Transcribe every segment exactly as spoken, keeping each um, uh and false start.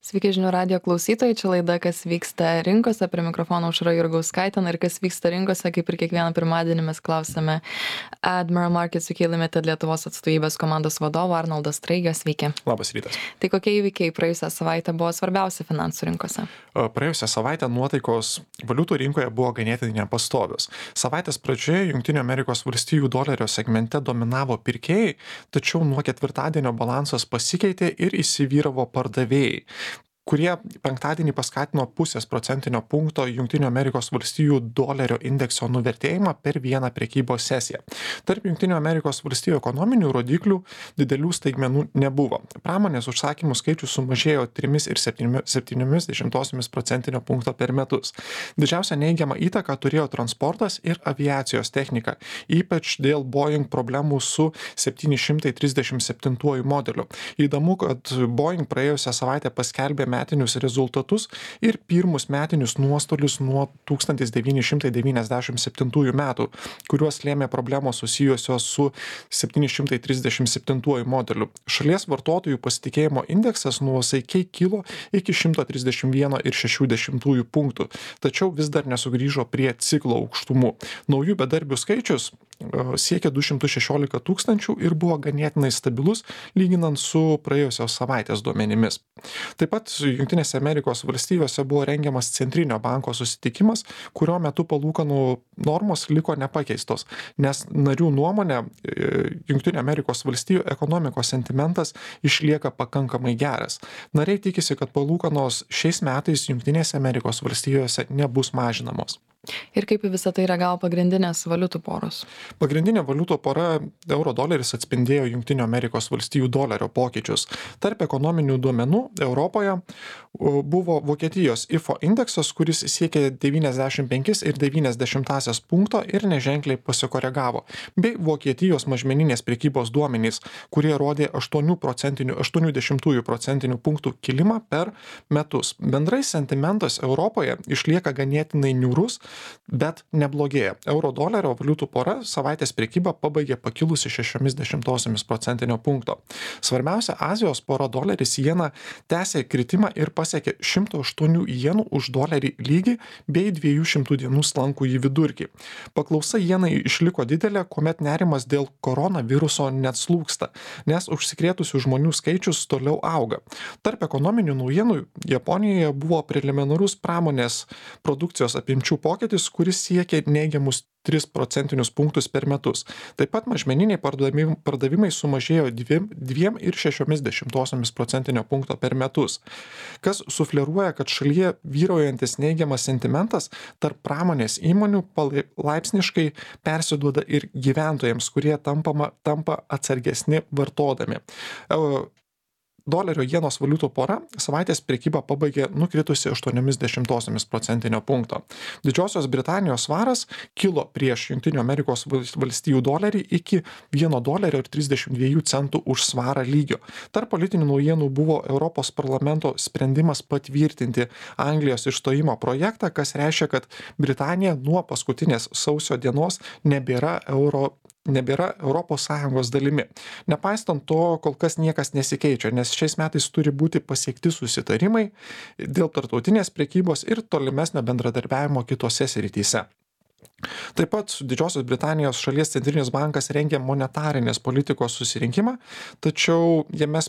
Sveiki žinių radijo klausytojai, čia laida Kas vyksta rinkose, prie mikrofono Aušra Jurgauskaitė ir kas vyksta rinkose, kaip ir kiekvieną pirmadienį mes klausome Admiral Markets U K Limited Lietuvos atstovybės komandos vadovo Arnoldo Straigio. Sveiki. Labas rytas. Tai kokie įvykiai praėjusią savaitę buvo svarbiausi finansų rinkose? Praėjusią savaitę nuotaikos valiutų rinkoje buvo ganėtinai nepastovios. Savaitės pradžioje Junktinių Amerikos valstijų dolerio segmente dominavo pirkėjai, tačiau nuo ketvirtadienio balansas pasikeitė ir įsivyravo pardavėjai, kurie penktadienį paskatino pusės procentinio punkto Junktinių Amerikos valstijų dolerio indekso nuvertėjimą per vieną prekybos sesiją. Tarp Junktinių Amerikos valstijų ekonominių rodiklių didelių staigmenų nebuvo. Pramonės užsakymų skaičius sumažėjo trim ir septyniomis dešimtosiomis procentinio punkto per metus. Didžiausia neigiama įtaka turėjo transportas ir aviacijos technika, ypač dėl Boeing problemų su septyni šimtai trisdešimt septintuoju modeliu. Įdomu, kad Boeing praėjusią savaitę paskelbė metinius rezultatus ir pirmus metinius nuostolius nuo tūkstantis devyni šimtai devyniasdešimt septintųjų metų, kuriuos lėmė problemos susijusios su septyni šimtai trisdešimt septintuoju modeliu. Šalies vartotojų pasitikėjimo indeksas nuosaikiai kilo iki šimto trisdešimt vieno ir šešių dešimtųjų punktų, tačiau vis dar nesugrįžo prie ciklo aukštumų. Naujų bedarbių skaičius siekia du šimtus šešiolika tūkstančių ir buvo ganėtinai stabilus lyginant su praėjusios savaitės duomenimis. Taip pat Jungtinėse Amerikos valstijose buvo rengiamas Centrinio banko susitikimas, kurio metu palūkanų normos liko nepakeistos, nes narių nuomonė Jungtinių Amerikos valstijų ekonomikos sentimentas išlieka pakankamai geras. Nariai tikisi, kad palūkanos šiais metais Jungtinėse Amerikos valstijose nebus mažinamos. Ir kaip į visą tai reagavo pagrindinės valiutų poros? Pagrindinė valiutų pora euro doleris atspindėjo Junktinių Amerikos valstijų dolerio pokyčius. Tarp ekonominių duomenų Europoje buvo Vokietijos I F O indeksas, kuris siekė devyniasdešimt penkis ir devynias dešimtąsias punkto ir neženkliai pasikoregavo, bei Vokietijos mažmeninės prekybos duomenys, kurie rodė aštuoniasdešimt procentinių punktų kilimą per metus. Bendrai sentimentas Europoje išlieka ganėtinai niūrus, bet neblogėja. Euro dolerio valiutų pora savaitės prekybą pabaigė pakilusi šešiomis dešimtosiomis procentinio punkto. Svarbiausia Azijos pora doleris jena tęsė kritimą ir pasiekė šimto aštuonių jenų už dolerį lygį bei dviejų šimtų dienų slankų į vidurkį. Paklausa jenai išliko didelė, kuomet nerimas dėl koronaviruso neatslūgsta, nes užsikrėtusių žmonių skaičius toliau auga. Tarp ekonominių naujienų Japonijoje buvo preliminarus pramonės produkcijos apimčių pokytis, kuris siekia neigiamus tris procentinius punktus per metus. Taip pat mažmeniniai pardavimai, pardavimai sumažėjo dviem, dviem ir šešiomis dešimtosiomis procentinio punkto per metus, kas sufleruoja, kad šalyje vyraujantis neigiamas sentimentas tarp pramonės įmonių laipsniškai persiduoda ir gyventojams, kurie tampama, tampa atsargesni vartodami. Dolerio jenos valiutų pora savaitės prekybą pabaigė nukritusi aštuoniomis dešimtosiomis procentinio punkto. Didžiosios Britanijos svaras kilo prieš Junktinių Amerikos valstijų dolerį iki vieno dolerio ir trisdešimt dviejų centų už svarą lygio. Tarp politinių naujienų buvo Europos parlamento sprendimas patvirtinti Anglijos išstojimo projektą, kas reiškia, kad Britanija nuo paskutinės sausio dienos nebėra euro nebėra Europos Sąjungos dalimi. Nepaistant to, kol kas niekas nesikeičia, nes šiais metais turi būti pasiekti susitarimai dėl tarptautinės prekybos ir tolimesnio bendradarbiavimo kitose srityse. Taip pat Didžiosios Britanijos šalies centrinis bankas rengė monetarinės politikos susirinkimą, tačiau jame,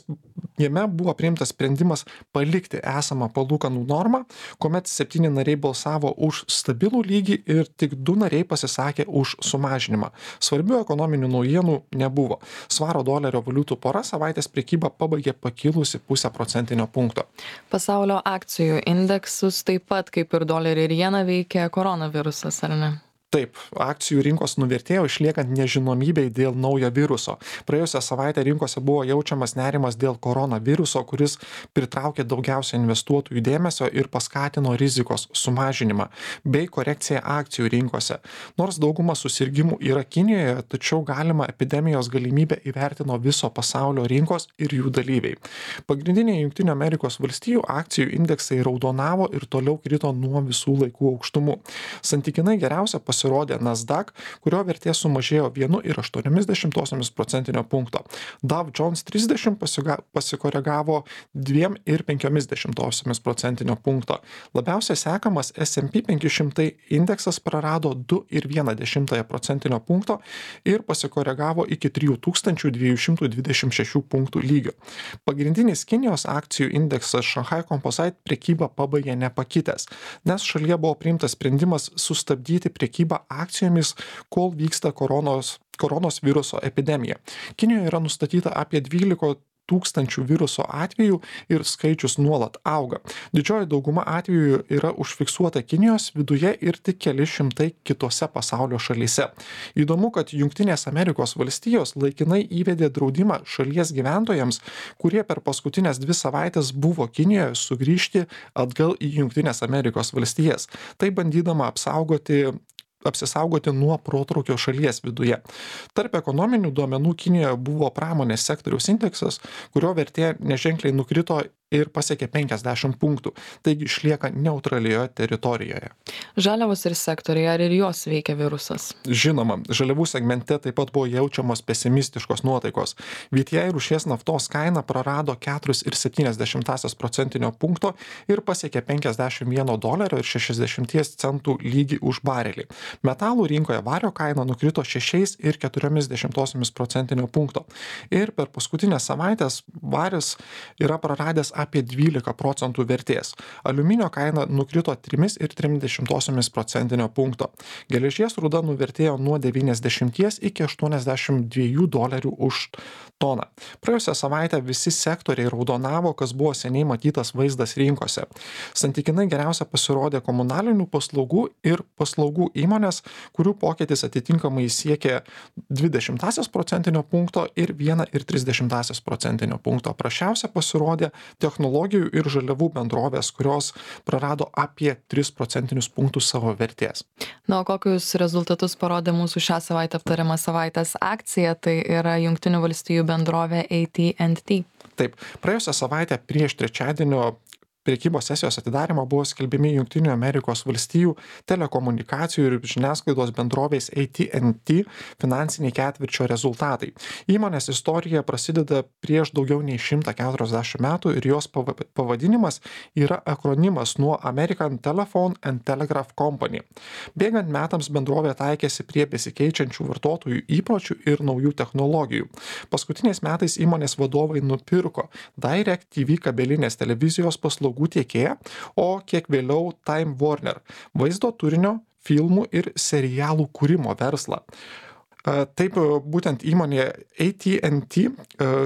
jame buvo priimtas sprendimas palikti esamą palūkanų normą, kuomet septyni nariai balsavo už stabilų lygį ir tik du nariai pasisakė už sumažinimą. Svarbių ekonominių naujienų nebuvo. Svaro dolerio valiutų pora savaitės prekybą pabaigė pakilusi pusę procentinio punkto. Pasaulio akcijų indeksus taip pat kaip ir dolerį ir jeną veikia koronavirusas, ar ne? Taip, akcijų rinkos nuvertėjo išliekant nežinomybei dėl naujo viruso. Praėjusią savaitę rinkose buvo jaučiamas nerimas dėl koronaviruso, kuris pritraukė daugiausia investuotojų dėmesio ir paskatino rizikos sumažinimą bei korekciją akcijų rinkose. Nors dauguma susirgimų yra Kinijoje, tačiau galima epidemijos galimybę įvertino viso pasaulio rinkos ir jų dalyviai. Pagrindiniai Junktinių Amerikos valstijų akcijų indeksai raudonavo ir toliau krito nuo visų laikų aukštumų. Santykinai geriausia pasirodė pasirodė Nasdaq, kurio vertė sumažėjo vienu ir aštuoniomis dešimtosiomis procentinio punkto. Dow Jones trisdešimt pasiga- pasikoregavo dviem ir penkiomis dešimtosiomis procentinio punkto. Labiausiai sekamas S and P penki šimtai indeksas prarado du ir vieną dešimtąją procentinio punkto ir pasikoregavo iki trijų tūkstančių dviejų šimtų dvidešimt šešių punktų lygio. Pagrindinis Kinijos akcijų indeksas Shanghai Composite prekybą pabaigė nepakitęs, nes šalyje buvo priimtas sprendimas sustabdyti prekybą akcijomis, kol vyksta koronos, koronos viruso epidemija. Kinijoje yra nustatyta apie dvylika tūkstančių viruso atvejų ir skaičius nuolat auga. Didžioji dauguma atvejų yra užfiksuota Kinijos viduje ir tik keli šimtai kitose pasaulio šalyse. Įdomu, kad Jungtinės Amerikos valstijos laikinai įvedė draudimą šalies gyventojams, kurie per paskutinės dvi savaitės buvo Kinijoje, sugrįžti atgal į Jungtinės Amerikos valstijas. Tai bandydama apsaugoti apsisaugoti nuo protrūkio šalies viduje. Tarp ekonominių duomenų Kinijoje buvo pramonės sektoriaus indeksas, kurio vertė neženkliai nukrito ir pasiekė penkiasdešimt punktų, taigi išlieka neutralioje teritorijoje. Žaliavos ir sektoriai, ar ir jos veikia virusas? Žinoma, žaliavų segmente taip pat buvo jaučiamos pesimistiškos nuotaikos. V T I rūšies naftos kaina prarado keturis ir septynias dešimtąsias procentinio punkto ir pasiekė penkiasdešimt vieno dolerio ir šešiasdešimties centų lygį už barelį. Metalų rinkoje vario kaina nukrito šešiais ir keturiomis dešimtosiomis procentinio punkto. Ir per paskutinės savaitės varis yra praradęs apie dvylika procentų vertės. Aliuminio kaina nukrito trimis ir trim dešimtosiomis procentinio punkto. Geležies rūda nuvertėjo nuo devyniasdešimties iki aštuoniasdešimt dviejų dolerių už toną. Praėjusią savaitę visi sektoriai raudonavo, kas buvo seniai matytas vaizdas rinkose. Santykinai geriausia pasirodė komunalinių paslaugų ir paslaugų įmonės, kurių pokytis atitinkamai siekė dvidešimtąsias procentinio punkto ir vieną ir tris dešimtąsias procentinio punkto. Prašiausia pasirodė technologijų ir žaliavų bendrovės, kurios prarado apie tris procentinius punktus savo vertės. Na, o kokius rezultatus parodė mūsų šią savaitę aptariama savaitės akcija, tai yra Jungtinių valstijų bendrovė A T and T. Taip, praėjusią savaitę prieš trečiadienio prekybos sesijos atidarimą buvo skelbiami Jungtinių Amerikos valstijų telekomunikacijų ir žiniasklaidos bendrovės A T and T finansiniai ketvirčio rezultatai. Įmonės istorija prasideda prieš daugiau nei šimtą keturiasdešimt metų ir jos pavadinimas yra akronimas nuo American Telephone and Telegraph Company. Bėgant metams bendrovė taikėsi prie besikeičiančių vartotojų įpročių ir naujų technologijų. Paskutiniais metais įmonės vadovai nupirko DirecTV kabelinės televizijos paslaugų tiekėją, o kiek vėliau Time Warner vaizdo turinio, filmų ir serialų kūrimo verslą. Taip, būtent įmonė A T and T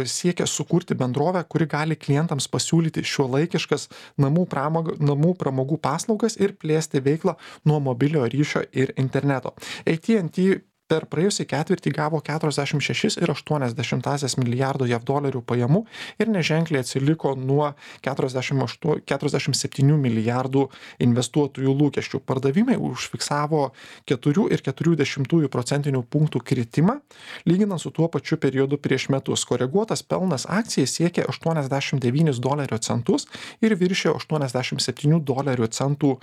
siekia sukurti bendrovę, kuri gali klientams pasiūlyti šiuolaikiškas namų, pramog, namų pramogų paslaugas ir plėsti veiklą nuo mobiliojo ryšio ir interneto. A T and T per praėjusį ketvirtį gavo keturiasdešimt šešis ir aštuonias dešimtąsias milijardo jav dolerių pajamų ir neženkliai atsiliko nuo keturiasdešimt aštuonių, keturiasdešimt septynių milijardų investuotojų lūkesčių. Pardavimai užfiksavo keturi ir keturi dešimtųjų procentinių punktų kritimą, lyginant su tuo pačiu periodu prieš metus. Koreguotas pelnas akcijai siekė aštuoniasdešimt devynis dolerio centus ir viršėjo aštuoniasdešimt septynių dolerių centų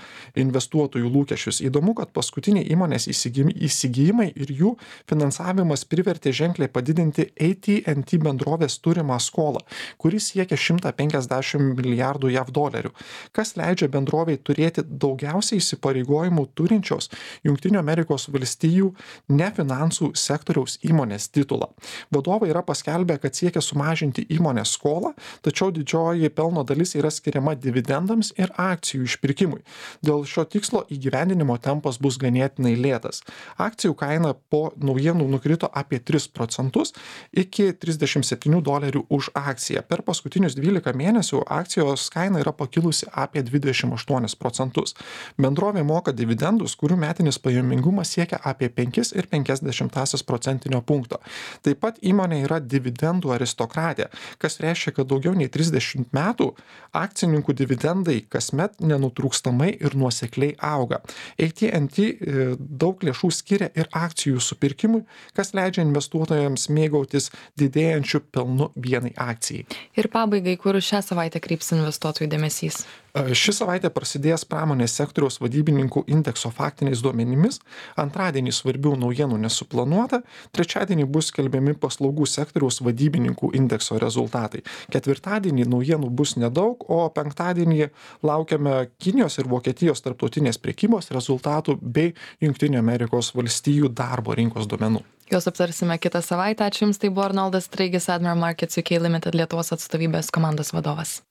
investuotojų lūkesčius. Įdomu, kad paskutiniai įmonės įsigijimai ir jų finansavimas privertė ženkliai padidinti A T and T bendrovės turimą skolą, kuris siekia šimtą penkiasdešimt milijardų jav dolerių, kas leidžia bendroviai turėti daugiausiai įsipareigojimų turinčios Jungtinių Amerikos valstijų nefinansų sektoriaus įmonės titulą. Vadovai yra paskelbę, kad siekia sumažinti įmonės skolą, tačiau didžioji pelno dalis yra skiriama dividendams ir akcijų išpirkimui. Dėl šio tikslo įgyvendinimo tempas bus ganėtinai lėtas. Akcijų kaina po naujienų nukrito apie tris procentus iki trisdešimt septynių dolerių už akciją. Per paskutinius dvylika mėnesių akcijos kaina yra pakilusi apie dvidešimt aštuonis procentus. Bendrovė moka dividendus, kurių metinis pajamingumas siekia apie penkis ir penkias dešimtąsias procentinio punkto. Taip pat įmonė yra dividendų aristokratė, kas reiškia, kad daugiau nei trisdešimt metų akcininkų dividendai kasmet nenutrūkstamai ir nuosekliai auga. A T and T daug lėšų skiria ir akcijų supirkimui, kas leidžia investuotojams mėgautis didėjančiu pelnu vienai akcijai. Ir pabaigai, kur šią savaitę kryps investuotojų dėmesys? Ši savaitė prasidės pramonės sektoriaus vadybininkų indekso faktiniais duomenimis, antradienį svarbių naujienų nesuplanuota, trečiadienį bus skelbiami paslaugų sektoriaus vadybininkų indekso rezultatai. Ketvirtadienį naujienų bus nedaug, o penktadienį laukiame Kinijos ir Vokietijos tarptautinės prekybos rezultatų bei Jungtinių Amerikos valstijų darbo rinkos duomenų. Juos aptarsime kitą savaitę. Ačiū Jums, tai buvo Arnoldas Straigis, Admiral Markets U K Limited Lietuvos atstovybės komandos vadovas.